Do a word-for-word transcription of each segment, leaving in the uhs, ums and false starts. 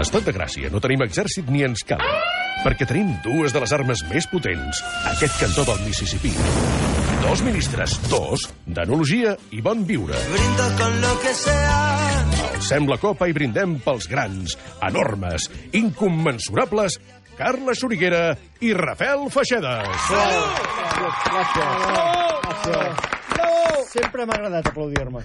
l'Estat de Gràcia no tenim exèrcit ni ens cal, perquè tenim dues de les armes més potents, aquest cantó del Mississipí. Dos ministres, dos, d'enologia i bon viure. Brindo con lo que sea. Alcem la copa i brindem pels grans, enormes, incommensurables, Carla Xuriguera i Rafael Feixedes. Sempre m'ha agradat aplaudir-me.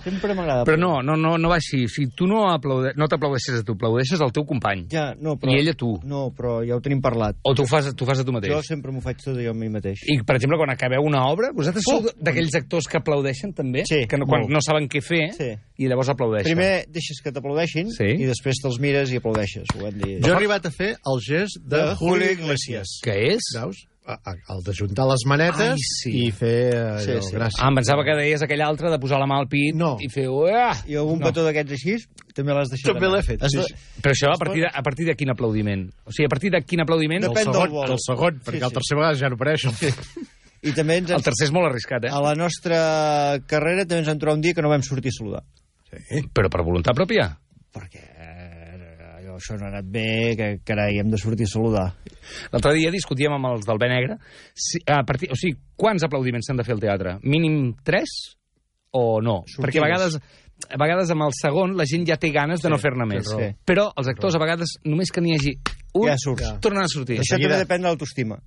Sempre m'ha agradat. Però no, no, no, no va així. O sigui, tu no, aplaude... no t'aplaudeixes a tu, aplaudeixes al teu company. Ja, no, però... I ell a tu. No, però ja ho tenim parlat. O tu ho fas, tu fas a tu mateix. Jo sempre m'ho faig tot jo a mi mateix. I, per exemple, quan acabeu una obra, vosaltres Oh! sou d'aquells actors que aplaudeixen també? Sí, que no, quan molt. no saben què fer Sí. i llavors aplaudeixen. Primer deixes que t'aplaudeixin Sí. i després te'ls mires i aplaudeixes. Ho hem dit. Jo he arribat a fer el gest de, De Julio Julio Iglesias. Què és? Veus? A- a- El d'ajuntar les manetes Ai, sí. i fer allò, Sí, sí. gràcies. Ah, em pensava que deies aquell altre de posar la mà al pit No. i fer... Uah! I algun No. petó d'aquests així també l'has deixat També anar. l'he fet, Has sí, de- sí. Però això a partir, de, a partir de quin aplaudiment? O sigui, a partir de quin aplaudiment... Depèn el del segon, vol. del segon, Sí, perquè sí. el tercer vegada ja no apareix. I també ens El tercer és molt arriscat, eh? a la nostra carrera també ens vam trobar un dia que no vam sortir a saludar. Sí. Però per voluntat pròpia? Perquè eh, allò, això no ha anat bé, que carai, hem de sortir a saludar. L'altre dia discutíem amb els del Bé Negre. Si, a partir, o sigui, quants aplaudiments s'han de fer al teatre? Mínim tres o no? Sortides. Perquè a vegades, a vegades amb el segon la gent ja té ganes de Sí, no fer-ne més. té raó. Però els actors a vegades només que n'hi hagi un Ja surts. Ja. tornen a sortir. Això seguida- també depèn de l'autoestima.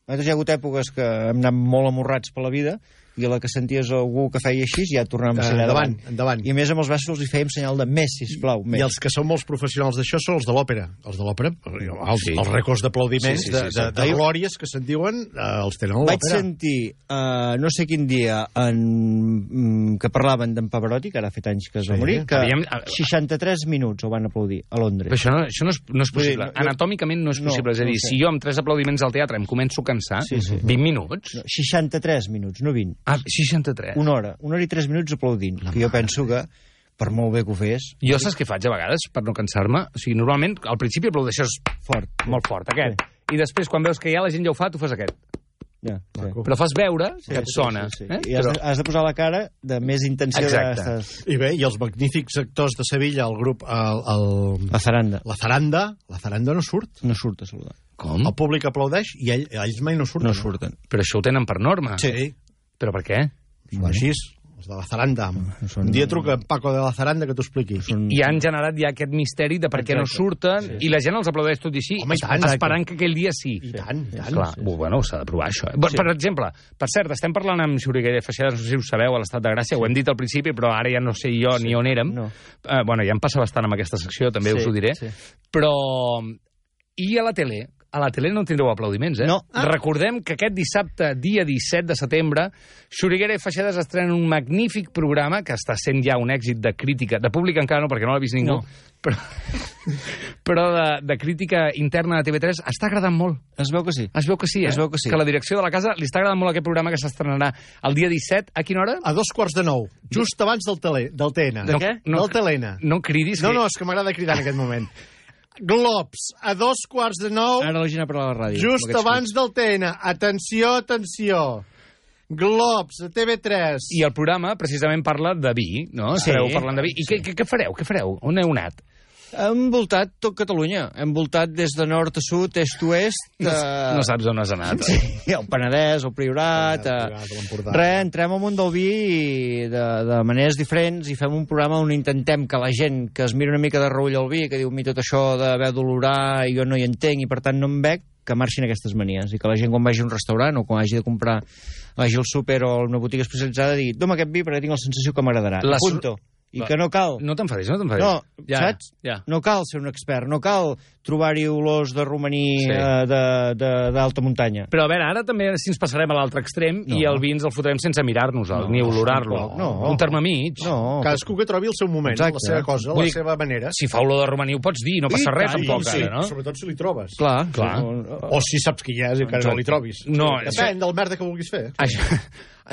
Nosaltres hi ha hagut èpoques que hem anat molt amorrats per la vida i a la que senties algú que feia així ja tornàvem a ser allà Endavant, davant. endavant. I a més amb els braços els hi fèiem senyal de més, sisplau, més. I els que són molts professionals d'això són els de l'òpera. Els de l'òpera, els, Sí. els rècords d'aplaudiments, Sí, sí, sí, sí. de, de, de glòries que se'n diuen, eh, els tenen a Vaig l'òpera. sentir, uh, no sé quin dia, en, mm, que parlaven d'en Pavarotti, que ara ha fet anys que es va Sí. morir, que Aviam, seixanta-tres minuts ho van aplaudir a Londres. Però això no, això no, és, no és Vull dir, possible. no- Anatòmicament no és no, possible. és a no dir, ho sé. si jo amb tres aplaudiments al teatre em començo a cansar, Sí, sí. vint minuts... No, seixanta-tres minuts, no vint. Ah, seixanta-tres. Una hora, una hora i tres minuts aplaudint. Que jo penso que, per molt bé que ho fes, Jo saps què faig a vegades per no cansar-me? O sigui, normalment al principi aplaudeixes fort. molt fort, aquest. I després, quan veus que ja la gent ja ho fa, tu fas aquest. Ja, sí. Però fas veure Sí, que et sí, sona. sí, sí. Eh? I has, Però... de, has de posar la cara de més intenció. Exacte. De, estàs... I bé, i els magnífics actors de Sevilla, el grup, el, el, La zaranda. la Zaranda, la Zaranda no surt. No surt a saludar. Com? El públic aplaudeix i ell, ells mai no surten. No surten. Però això ho tenen per norma. Sí. Però per què? Són així, els de la Zaranda. són- Un dia truca en Paco de la Zaranda que t'ho expliqui. I han generat ja aquest misteri de per què no Exacte. surten i la gent els aplaudeix tot i així, Home, i tant. esperant que aquell dia sí. I tant, i tant. Clar, bueno, s'ha de provar això. Eh? Sí. Per exemple, per cert, estem parlant amb Xuriguera i Feixedes, no sé si ho sabeu, a l'Estat de Gràcia, ho hem dit al principi, però ara ja no sé jo ni on érem. No. Eh, bueno, ja em passa bastant amb aquesta secció, també Sí, us ho diré. sí. Però... I a la tele? A la tele no tindreu aplaudiments, eh? No. Ah. Recordem que aquest dissabte, dia disset de setembre, Xuriguera i Feixedes estrenen un magnífic programa que està sent ja un èxit de crítica, de públic encara no, perquè no l'ha vist ningú, No. però, però de, de crítica interna de T V tres està agradant molt. Es veu que sí. Es veu que sí, eh? Es veu que sí. Que la direcció de la casa li està agradant molt aquest programa que s'estrenarà el dia disset. A quina hora? A dos quarts de nou, just abans del, tele, del T N. De què? No, Del T L N. No cridis. No, que... no, és que m'agrada cridar en aquest moment. Globs, a dos quarts de nou, Ara la gent ha parlat a la ràdio. just amb aquests abans del T N. Atenció, atenció. Globs, a T V tres. I el programa precisament parla de vi, no? Sí. Estareu parlant de vi. I què, què, què fareu? Què fareu? On heu anat? Hem voltat tot Catalunya. Hem voltat des de nord a sud, est a oest. No, eh, no saps on has anat. Sí, el Penedès, el Priorat... El Eh, Priorat, l'Empordà. Res, entrem al món del vi i de, de maneres diferents i fem un programa on intentem que la gent que es mira una mica de reull al vi, que diu mi tot això d'haver d'olorar i jo no hi entenc i per tant no em bec, que marxin aquestes manies i que la gent quan vagi a un restaurant o quan hagi de comprar, vagi al súper o a una botiga especialitzada digui, doma aquest vi perquè tinc la sensació que m'agradarà. La sur- Punto. I que no cal... No t'enfadis, no t'enfadis. No, ja, saps? Ja. No cal ser un expert, no cal trobar-hi olors de romaní Sí. sí. eh, de- de- d'alta muntanya. Però a veure, ara també si ens passarem a l'altre extrem No. i el vi ens el fotrem sense mirar-nos-el, No, ni olorar-lo. tampoc, no. Un terme mig. No, Cadascú que trobi el seu moment, Exacte. la seva cosa, Vull la dir- seva manera. Si fa olor de romaní ho pots dir, no passa I res tant, tampoc, sí, ara, no? sobretot si li trobes. clar. Clar. O si saps qui és i encara no li trobis. No, Depèn del merda que vulguis fer. Això,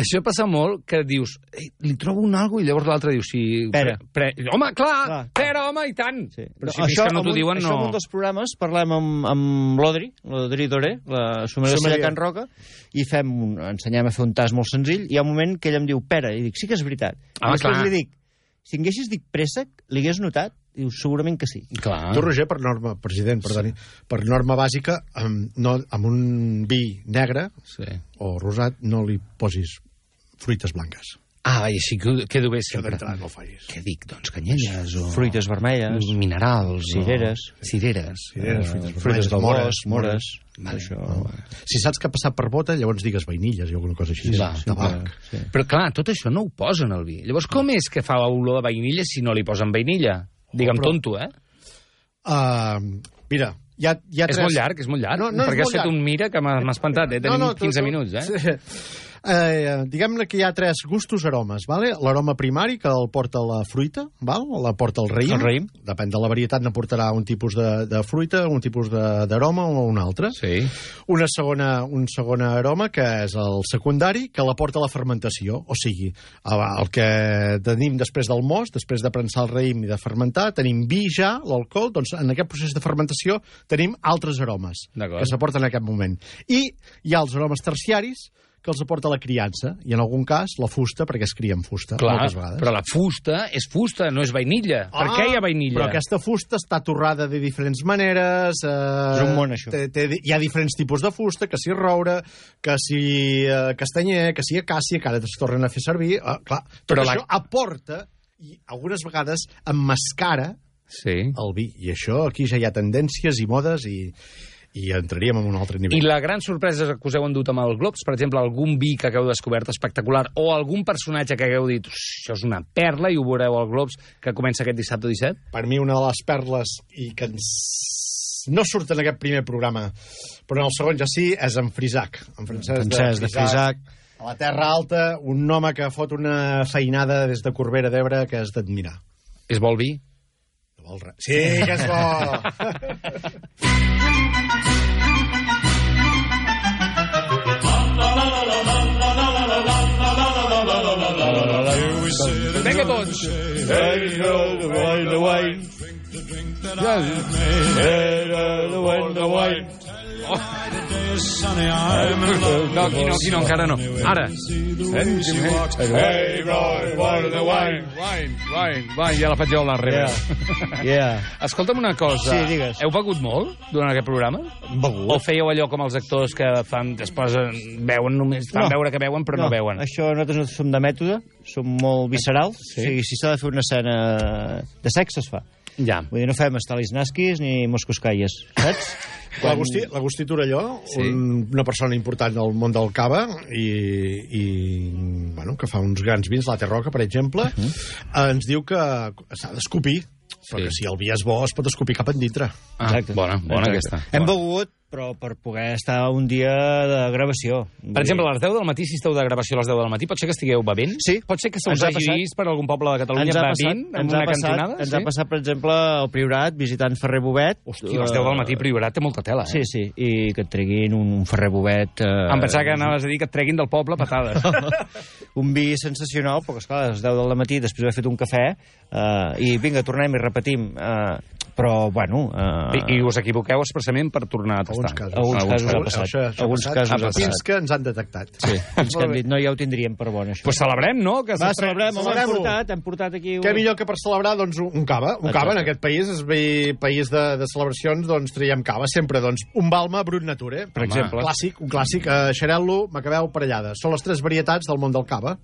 això passa molt, que dius, Ei, li trobo un algo, i llavors l'altre diu, sí... Pera. Pre, pre, home, clar, Clar. pera, home, i tant. Sí. Però si fins que no amb t'ho un- diuen, això en no... un dels programes parlem amb, amb l'Odri, l'Odri Doré, la sommelier de Sommelier. Can Roca, i fem un, ensenyem a fer un tas molt senzill, i hi ha un moment que ell em diu, pera, i dic, sí que és veritat. Ah, I després clar. li dic, si haguessis dit préssec, li hagués notat? Diu, segurament que sí. Clar. Tu, Roger, per norma, president, perdoni, per norma bàsica, amb, no, amb un vi negre Sí. o rosat no li posis fruites blanques. Ah, vaja, així que quedo bé Que sempre. d'entrada no ho facis. Què dic, doncs, canyelles o... Fruites vermelles, minerals. cireres. O... Cireres. Cireres, Eh, fruites fruites del mores, bosc, mores. Vale. Això... Si saps que ha passat per bota, llavors digues vainilles o alguna cosa així. Va, Tabac. Sí. Però clar, tot això no ho posen al vi. Llavors, com és que fa olor de vainilla si no li posen vainilla? Digue'm però- tonto, eh? Uh, mira, hi ha, hi ha És tres... molt llarg, és molt llarg. No, no és perquè has molt fet llarg. un mira que m'ha m'ha espantat, eh? Tenim quinze minuts, eh? Sí. Eh, diguem-ne que hi ha tres gustos aromes, vale? L'aroma primari, que el porta la fruita, val? La porta el raïm. El raïm. Depèn de la varietat, ne portarà un tipus de, de fruita, un tipus de- d'aroma o un altre. Sí. Una segona, un segon aroma, que és el secundari, que la porta la fermentació. O sigui, el que tenim després del most, després de prensar el raïm i de fermentar, tenim vi ja, l'alcohol, doncs en aquest procés de fermentació tenim altres aromes D'acord. que s'aporten en aquest moment. I hi ha els aromes terciaris, que els aporta la criança, i en algun cas la fusta, perquè es cria amb fusta, Clar, moltes vegades. però la fusta és fusta, no és vainilla. Per què hi ha vainilla? Però aquesta fusta està torrada de diferents maneres. Eh, És un món, això. Té, té, hi ha diferents tipus de fusta, que si roure, que si eh, castanyer, que si acàcia, que ara es tornen a fer servir. Eh, clar, tot Però això la- aporta, i algunes vegades emmascara Sí. el vi. I això, aquí ja hi ha tendències i modes, i, i entraríem en un altre nivell. I la gran sorpresa que us heu endut amb els Globs, per exemple, algun vi que hagueu descobert espectacular o algun personatge que hagueu dit això és una perla i ho veureu al Globs que comença aquest dissabte disset? Per mi una de les perles i que ens... no surt en aquest primer programa, però en el segon ja sí, és en Frisac, en Francesc, Francesc de Frisac. a la Terra Alta, un home que fot una feinada des de Corbera d'Ebre que és d'admirar. És bo el vi? No vol res. Sí, que és bo! Vinga tots! No, aquí no, aquí no, encara no. Ara. Hey, boy, for the wine, wine, wine, wine. Ja la faig jo a la revera. Yeah. yeah. Escolta'm una cosa. Sí, digues. Heu begut molt durant aquest programa? Begut? O fèieu allò com els actors que fan, després veuen només, fan No. veure que veuen però no, no veuen? Això nosaltres no som de mètode, som molt viscerals. Sí. O sigui, si s'ha de fer una escena de sexe, es fa. Ja. Vull dir, no fem estalis-nasquis ni moscoscaies, saps? L'Agustí, l'Agustí Torelló, Sí. un, una persona important del món del cava i, i bueno, que fa uns grans vins, la Terroca, per exemple, uh -huh. ens diu que s'ha d'escopir, però Sí. que si el vi és bo es pot escopir cap endintre. Ah, Exacte. bona, bona Exacte. aquesta. Hem Bona. begut, però per poder estar un dia de gravació. Per exemple, a les deu del matí, si esteu de gravació a les deu del matí, pot ser que estigueu bevent? Sí. Pot ser que se us Ens ha hagi passat. vist per algun poble de Catalunya ens ha passat, bevent en ens ha una passat, cantonada? ens sí? ha passat, per exemple, al Priorat, visitant Ferrer Bobet. Hòstia, a les deu del matí, Priorat té molta tela, eh? Sí, sí, i que et treguin un Ferrer Bobet... Eh, Em pensava que anaves a dir que et treguin del poble patades. un vi sensacional, però, esclar, a les deu del matí, després d'haver fet un cafè, eh, i vinga, tornem i repetim. Eh, però, bueno... Eh, I, I us equivoqueu expressament per tornar a tastar. Alguns casos. Alguns Alguns casos ha casos. passat. Això, això Alguns ha casos passat, ha fins passat. que ens han detectat. Sí, fins que hem dit, no, ja ho tindríem per bon, això. Pues celebrem, no? Que Va, s'ha- celebrem, home, hem celebrem-ho. portat, hem portat aquí... Què millor que per celebrar, doncs, un cava. Un cava en Exacte. aquest país, és bé, país de, de celebracions, doncs, traiem cava. Sempre, doncs, un Balma Brut Nature, Per exemple. Clàssic, un clàssic, eh, Xarel·lo, Macabeu, Parellada. Són les tres varietats del món del cava.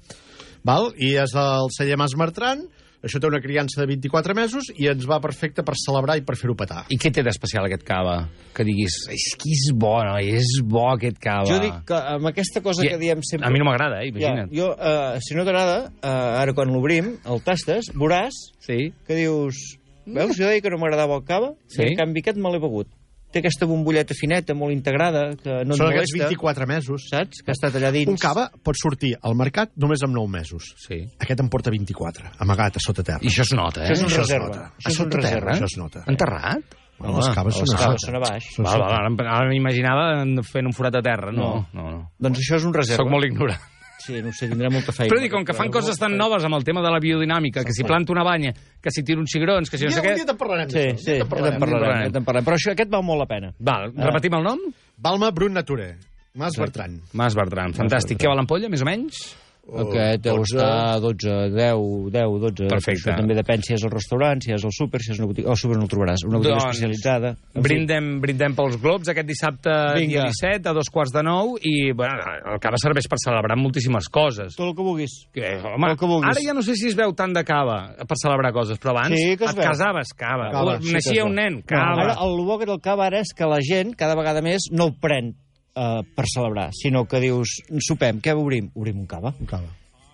Val? I és el celler Mas Martran. Això té una criança de vint-i-quatre mesos i ens va perfecte per celebrar i per fer-ho petar. I què té d'especial aquest cava? Que diguis, és que és bo, no? És bo aquest cava. Jo dic que amb aquesta cosa I- que diem sempre... A mi no m'agrada, eh? Ja, Imagina't. jo, uh, si no t'agrada, uh, ara quan l'obrim, el tastes, veuràs Sí? que dius... Veus, jo deia que no m'agradava el cava, Sí? i en canvi aquest me l'he begut. Té aquesta bombolleta fineta, molt integrada, que no et Són aquests molesta, vint-i-quatre mesos. saps? Que ha estat allà dins. Un cava pot sortir al mercat només amb nou mesos. Sí. Aquest en porta vint-i-quatre, amagat a sota terra. I això es nota, eh? Això és un Això es reserva. nota. Això és un Això es reserva. Això es nota. Enterrat? Bueno, les caves són les a caves sota. són a baix. Són Val, val, sota. ara, ara m'imaginava fent un forat a terra. No, no, no. Doncs això és un reserva. Soc molt ignorant. Sí, no ho sé, tindrà molta feina. Però dic, com que fan coses tan noves amb el tema de la biodinàmica, que si planta una banya, que si tira uns cigrons, que si no sé Ja, un què... dia te'n parlarem Sí, d'això. sí, Un dia ja te'n te'n parlarem. parlarem, ja te'n parlarem. Però això, aquest val molt la pena. Val, repetim el nom? Balma Brut Nature, Mas Bertran. Mas Bertran, fantàstic. Què val l'ampolla, més o menys? Aquest deu estar a dotze, deu, deu, dotze. Perfecte. Això també depèn si és al restaurant, si és al súper, si és una botiga... Al súper no el trobaràs, una botiga Doncs, especialitzada. En Brindem, brindem pels globs aquest dissabte, Vinga. dia disset, a dos quarts de nou, i bueno, el cava serveix per celebrar moltíssimes coses. Tot el que vulguis. Que, home, El que vulguis. ara ja no sé si es veu tant de cava per celebrar coses, però abans Sí que es et veu. casaves, cava. Cava, Uh, sí que naixia es un veu. nen, No, cava. ara, el bo que del cava ara és que la gent cada vegada més no ho pren uh, per celebrar, sinó que dius, sopem, què obrim? Obrim un cava. Un cava.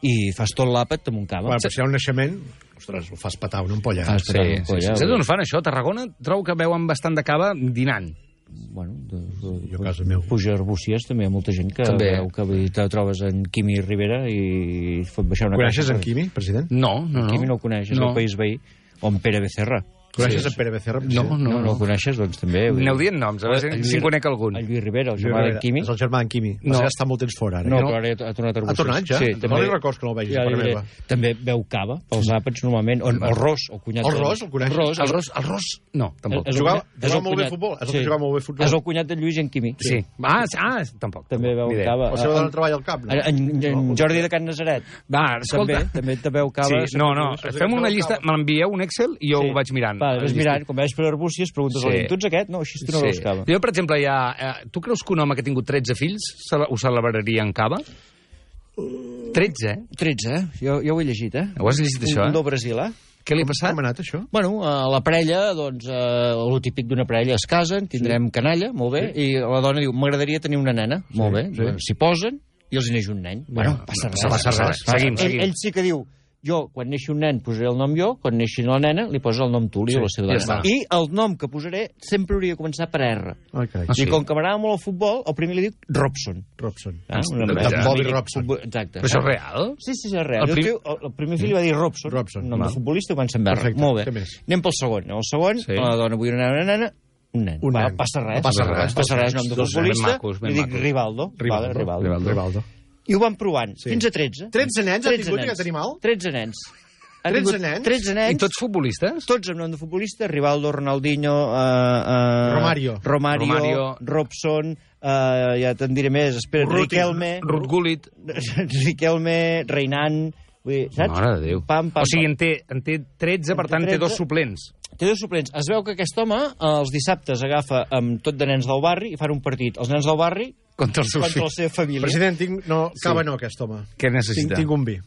I fas tot l'àpat amb un cava. Bueno, però si hi ha un naixement, ostres, ho fas petar una ampolla. Fas Sí, petar sí, una sí, ampolla, sí. Saps on fan això? A Tarragona trobo que beuen bastant de cava dinant. Bueno, de, de, Jo a casa meu. Puja Arbúcies, també hi ha molta gent que També. veu que vull dir, te trobes en Quimi Rivera i fot baixar una Coneixes caixa. en Quimi, president? No, no, no. Quimi no el coneix, és No. el País Veí. O en Pere Becerra. Coneixes Sí. en Pere Becerra? No, president? No, no, el coneixes, doncs també. vull dir. Aneu dient noms, a veure si, El si en conec algun. El Lluís Rivera, el Lluís germà Rivera, d'en Quimi. És el germà d'en Quimi. No. No. Està molt temps fora, ara. No, eh? però ara ha tornat a Arbúcies. Ha tornat ja? Sí, No li records que no el vegis, ja per li diré. meva. També veu cava, pels àpats, normalment. O, el Ros, el cunyat. El de- Ros, el coneixes? El Ros, El ros, el ros... No, tampoc. És el Jugava, cunyat- és jugava el molt bé cunyat. futbol. És el que jugava molt bé futbol. És el cunyat de Lluís en Quimi. Sí. Ah, sí, ah, tampoc. També veu Ni idea. cava. La seva En- dona treballa al camp, no? En, en, en Jordi de Can Nazaret. Va, escolta. També, també te veu cava. Sí, no, no, fem una llista, me l'envieu un Excel i jo Sí. ho vaig mirant. Va, vas mirant, quan veus per Arbúcies, preguntes Sí. a l'In, tu ets aquest? No, així tu no veus cava. Jo, per exemple, ja... Eh, tu creus que un home que ha tingut tretze fills cele- ho celebraria en cava? tretze, eh? tretze, eh? Jo, jo ho he llegit, eh? Ho has llegit, això, Un eh? do Brasil, eh? Què li ha passat? Com ha anat, això? Bueno, a la parella, doncs, eh, el típic d'una parella es casen, tindrem canalla, molt bé, i la dona diu, m'agradaria tenir una nena, molt bé, sí. s'hi posen i els hi neix un nen. Bueno, passa res. passa res. Seguim, ell, seguim. ell sí que diu, jo, quan neixi un nen, posaré el nom jo, quan neixi la nena, li posa el nom tu, li diu la seva ja dona. està. I el nom que posaré sempre hauria de començar per R. Okay. Ah, sí. I com que m'agrada molt el futbol, el primer li dic Robson. Robson. Ah, de una- veritat. Bobby amic- Robson. futbol- Exacte. Però això és real? Sí, sí, sí, és real. El El, prim- prim... el, el primer fill va dir Robson, Robson, nom val. de futbolista, comença amb R. Perfecte. Molt bé. Què més? Anem pel segon. El segon, Sí. la dona vull una nena, una nena, un nen. Un Va, nen. passa res. No passa res. Passa res, nom de Dos futbolista. ben macos, ben li dic macos. Rivaldo. Rivaldo. Vale, Rivaldo. Rivaldo. Rivaldo. I ho van provant, Sí. fins a tretze. tretze nens ha tretze tingut nens. aquest animal? tretze nens. Ha tretze tingut nens? tretze I nens. tots futbolistes? Tots amb nom de futbolista, Rivaldo, Ronaldinho, uh, uh, Romario. Romario, Romario. Robson, uh, ja te'n diré més, espera, Ruti. Riquelme, Ruth Gullit. Riquelme, Reinant, vull dir, saps? Mare de Déu. Pam, pam, O sigui, pam. en té, en té tretze, per En té tant, té dos tretze. suplents. Té dos suplents. Es veu que aquest home eh, els dissabtes agafa amb tot de nens del barri i fan un partit. Els nens del barri Contra els seus contra la fills. seva família. President, tinc... No, cava no, aquest home. Què Tinc, necessita? tinc un vi.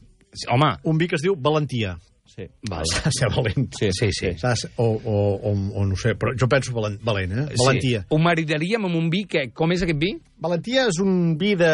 Home, Un vi que es diu Valentia. Sí. val. S'ha de ser valent. Sí, Sí, sí. S'ha de ser- O, o, o, o no sé, però jo penso valent, valent eh? Valentia. Sí. Ho maridaríem amb un vi que... Com és aquest vi? Valentia és un vi de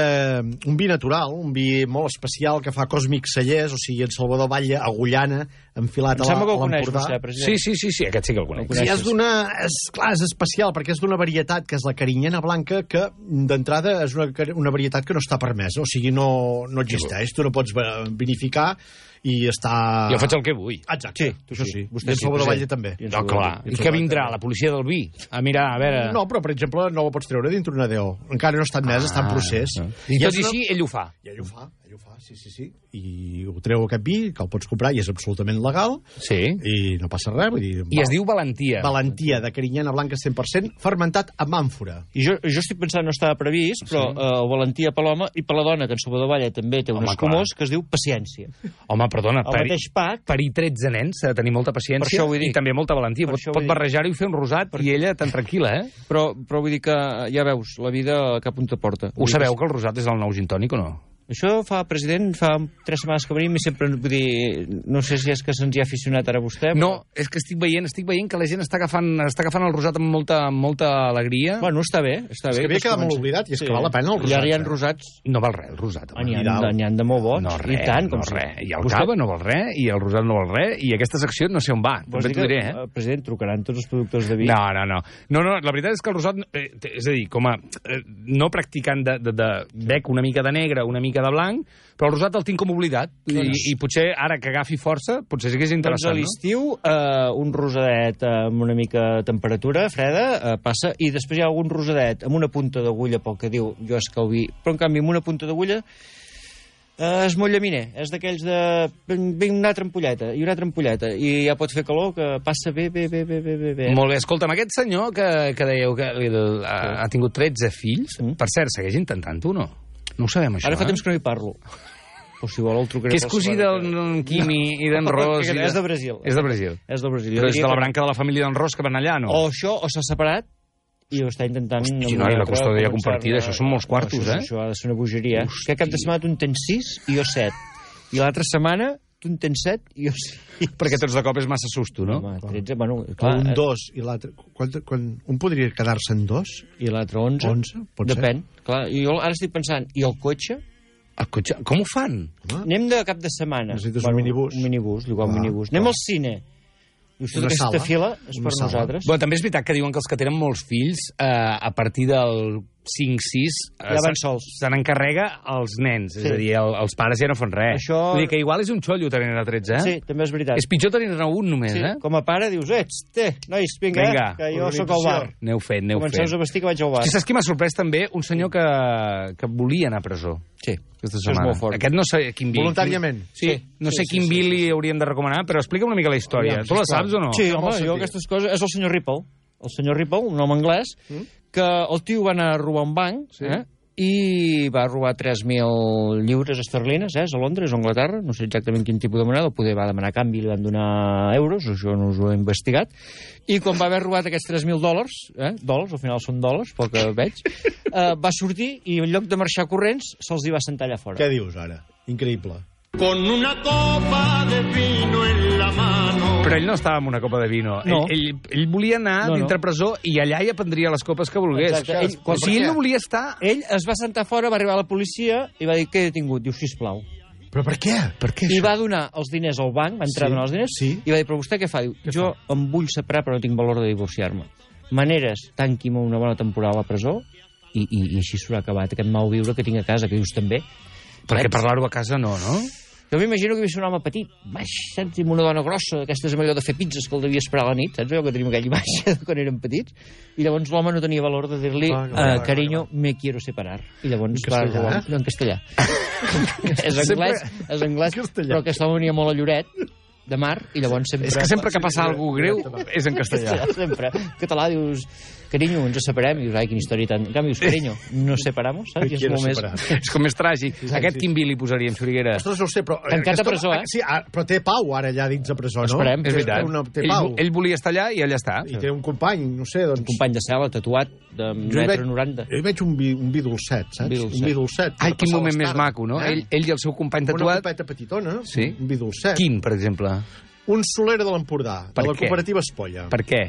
un vi natural, un vi molt especial que fa Còsmic Cellers, o sigui, en Salvador Batlle, agullana, enfilat Em a sembla que la- ho a coneix l'Empordà. vostè, Sí, president. sí, sí, sí, aquest sí que el conec. El Sí, coneixes. és d'una... És, clar, és especial, perquè és d'una varietat, que és la carinyena blanca, que d'entrada és una, una varietat que no està permesa, o sigui, no, no existeix. Tu no pots eh, vinificar i està... Jo faig el que vull. Exacte, Sí, això sí. Vostè I en sí, Salvador president. Batlle també. I en No, Salvador clar. Batlle. I què vindrà? La policia del vi? A mirar, a veure... No, però, per exemple, no ho pots treure dintre una D O. Encara no està admès, està en procés. Ah, I tot és i una- així, ell ho fa. I ell ho fa, ell ho fa, sí, sí, sí. I ho treu aquest vi, que el pots comprar i és absolutament legal, Sí. i no passa res. Vull dir, I es diu Valentia. Valentia, de carinyena blanca cent per cent, fermentat amb àmfora. I jo, jo estic pensant, no estava previst, però sí. eh, el Valentia per l'home i per la dona, que en Salvador Batlle també té un Home, escumós que es diu Paciència. Home, perdona, El per, mateix pack, parir tretze nens s'ha de tenir molta Per paciència això vull dir. i també molta valentia. Per Pot, això pot vull dir. barrejar-ho i fer un rosat i ella tan tranquil·la, eh? però, però vull dir que, ja veus, la vida cap on te porta. Ho sabeu que el rosat és el nou gin tònic o no? Això fa, president, fa tres setmanes que venim i sempre, vull dir, no sé si és que se'ns hi ha aficionat ara vostè. No, és que estic veient, estic veient que la gent està agafant, està agafant el rosat amb molta, amb molta alegria. Bueno, està bé, està És bé. que havia es quedat molt comença. oblidat i és que val la pena el I ara hi ha rosat, eh? rosats, No val res, el rosat. ah, home. n'hi ha, I dalt. de- n'hi ha de molt bons. No I res, tant, no com si- res. I el Vostè- cava no val res, i el rosat no val res, i aquesta secció no sé on va. Vols També dir t'ho que, diré, eh? eh, president, trucaran tots els productors de vi? No, no, no. No, no, la veritat és que el rosat... Eh, té- és a dir, com a eh, no practicant de, de, de bec una mica de negre, una mica de blanc, però el rosat el tinc com oblidat. I, Doncs- i potser ara que agafi força, potser sí que és Doncs a interessant, no? l'estiu eh, un rosadet amb una mica de temperatura freda eh, passa, i després hi ha algun rosadet amb una punta d'agulla, pel que diu jo és que el vi, però en canvi amb una punta d'agulla eh, és molt llaminer, és d'aquells de vinc una altra ampolleta i una altra ampolleta i ja pot fer calor, que passa bé, bé, bé, bé, bé, bé, bé. Molt bé, escolta'm, aquest senyor que, que dèieu que el, ha, ha tingut tretze fills, Mm. per cert, segueix intentant-ho, no? No ho sabem, això, Ara fa eh? temps que no hi parlo. O si vol el trucaré... Que és cosí d'en Quimi i d'en Ros. No, és de Brasil. És de Brasil. És de Brasil. Però és de la branca de la família d'en Ros que van allà, no? O això, o s'ha separat i ho està intentant... Hosti, no, i la custòdia compartida, això són molts quartos, eh? Això ha de ser una bogeria. Que cap de setmana tu en tens sis i jo set. I l'altra setmana tu en tens set i jo sis. Perquè tots de cop és massa susto, no? Home, tretze, bueno, Clar, clar, un eh, dos i l'altre... Quan, quan, un podria quedar-se en dos? i l'altre onze. Onze, pot ser. Depèn. Clar, i jo ara estic pensant, i el cotxe? El cotxe, com ho fan? Anem de cap de setmana. Necessites un minibús. Un minibús, igual un Clar, minibús. clar. Anem al cine. I vostè, Una aquesta sala. fila és Una per sala. nosaltres. Bueno, també és veritat que diuen que els que tenen molts fills, eh, a partir del cinc sis, eh, Ja van se- sols. se n'encarrega els nens. Sí. És a dir, el, els pares ja no fan res. Això- Vull dir que igual és un xollo tenir a tretze, eh? Sí, també és veritat. És pitjor tenir-ne un només, Sí, eh? com a pare dius, ets, té, nois, vinga, Vinga, eh, que jo sóc al bar. Aneu fent, aneu Comenceu fent. a vestir que vaig al bar. Sí, saps qui m'ha sorprès també? Un senyor que, que volia anar a presó. Sí, Aquesta això és setmana. molt fort. Aquest no sé quin Bill. Voluntàriament. Sí, Sí, no sí, sé sí, quin sí, Bill sí. li hauríem de recomanar, però explica'm una mica la història. Aviam, Tu la sisplau. saps o no? Sí, Amb home, el jo sentit. aquestes coses... És el senyor Ripple. El senyor Ripple, un home anglès, que el tio va anar a robar un banc, Sí. eh? I va robar tres mil lliures esterlines, eh? A Londres o a Anglaterra, no sé exactament quin tipus de moneda, poder va demanar canvi i li van donar euros, això no us ho he investigat, i quan va haver robat aquests tres mil dòlars, eh? dòlars, al final són dòlars, pel que veig, eh, va sortir i en lloc de marxar corrents se'ls hi va sentar allà fora. Què dius, ara? Increïble. Con una copa de vino en la mano. Però ell no estava amb una copa de vino. No. Ell, ell, ell volia anar No, no. dintre presó i allà hi aprendria les copes que volgués. Exacte. Ell- o sigui, ell per no què? volia estar... Ell es va sentar fora, va arribar la policia i va dir, què he detingut? Diu, sisplau. Però per què? Per què I això? va donar els diners al banc, va entrar Sí, a donar els diners, sí. i va dir, però vostè què fa? Diu, jo em vull separar però no tinc valor de divorciar-me. Maneres, tanqui'm una bona temporada a la presó i, i, i així s'haurà acabat aquest mal viure que tinc a casa, que dius també. Perquè parlar-ho a casa no, no? Jo m'imagino que havia ser un home petit, baix, saps? I amb una dona grossa, d'aquestes amb allò de fer pizzas que el devia esperar a la nit, saps allò que tenim aquella imatge de quan érem petits? I llavors l'home no tenia valor de dir-li, Ah, no, eh, no, carinyo, me quiero separar. I llavors En va castellà, robar... eh? No, en castellà. és anglès, és anglès, castellà. però aquest home venia molt a Lloret, de mar, i llavors sempre... És que sempre que passa alguna greu és en castellà. Sempre. En català dius, carinyo, ens separem, i dius, ai, quina història tan... En canvi, dius, carinyo, nos separamos, saps? I és Quiero molt més... separar. És com més tràgic. Aquest quin Bill li posaríem, Xuriguera? Ostres, no ho sé, però... Tancat a aquesta- presó, eh? Sí, ah, però té pau ara allà dins de presó, no? Esperem. És Té veritat. Una, té Ell, pau. ell volia estar allà i allà està. I té un company, no sé, doncs... Un company de cel·la, tatuat, de Jo hi metre veig- noranta. Jo hi veig un, vi, un vi dolcet, saps? Vi dolcet. Un vi dolcet. Ai, per quin passar moment més l'estarda, maco, no? Eh? Ell, ell i el seu company Una tatuat... copeta petitona, Sí. un vi dolcet. Quin, per exemple? Un solera de l'Empordà, Per de la què? cooperativa Espolla. Per què?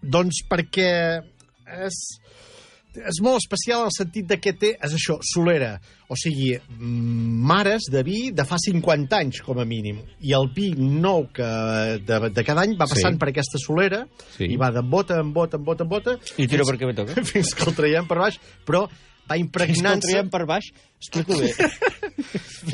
Doncs perquè és, és molt especial en el sentit de que té, és això, solera. O sigui, mm, mares de vi de fa cinquanta anys, com a mínim. I el vi nou que de, de cada any va passant Sí. per aquesta solera Sí. i va de bota en bota en bota en bota I tiro perquè me toca. fins que el traiem per baix, però va Fins que el impregnant-se... traiem per baix, explico bé.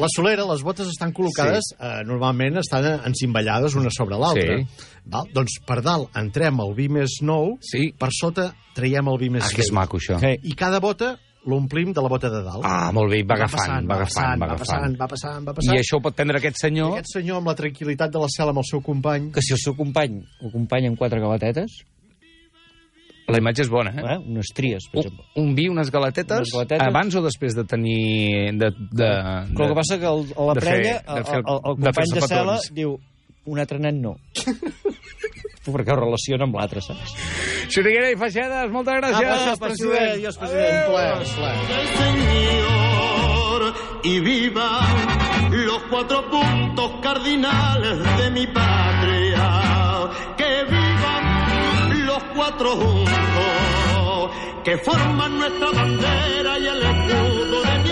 La solera, les botes estan col·locades, sí. eh, normalment estan encimballades una sobre l'altra. Sí. Val? Doncs per dalt entrem el vi més nou, Sí. per sota traiem el vi més Ah, que és vell. maco, això. Sí. I cada bota l'omplim de la bota de dalt. Ah, molt bé, va agafant, passant, va agafant, va va passant, agafant. va passant, va passant. I això ho pot prendre aquest senyor... Aquest senyor, amb la tranquil·litat de la cel·la amb el seu company, Que si el seu company ho acompanya amb quatre galatetes, La imatge és bona, eh? eh? unes tries, per Un, exemple. un vi, unes galetetes, Unes galetetes. abans o després de tenir... De, de, Però el que passa que el, a la de fer- prèvia, de el, fer- el, el de company fer-se de cel·la petons. diu, un altre nen no. Perquè ho relaciona amb l'altre, saps? Xuriguera i Faixedes, moltes gràcies, gràcies, president. Adiós, president. ple, ple. El Señor y viva los cuatro puntos cardinales de mi patria. Que vivan los cuatro juntos que forman nuestra bandera y el escudo de mi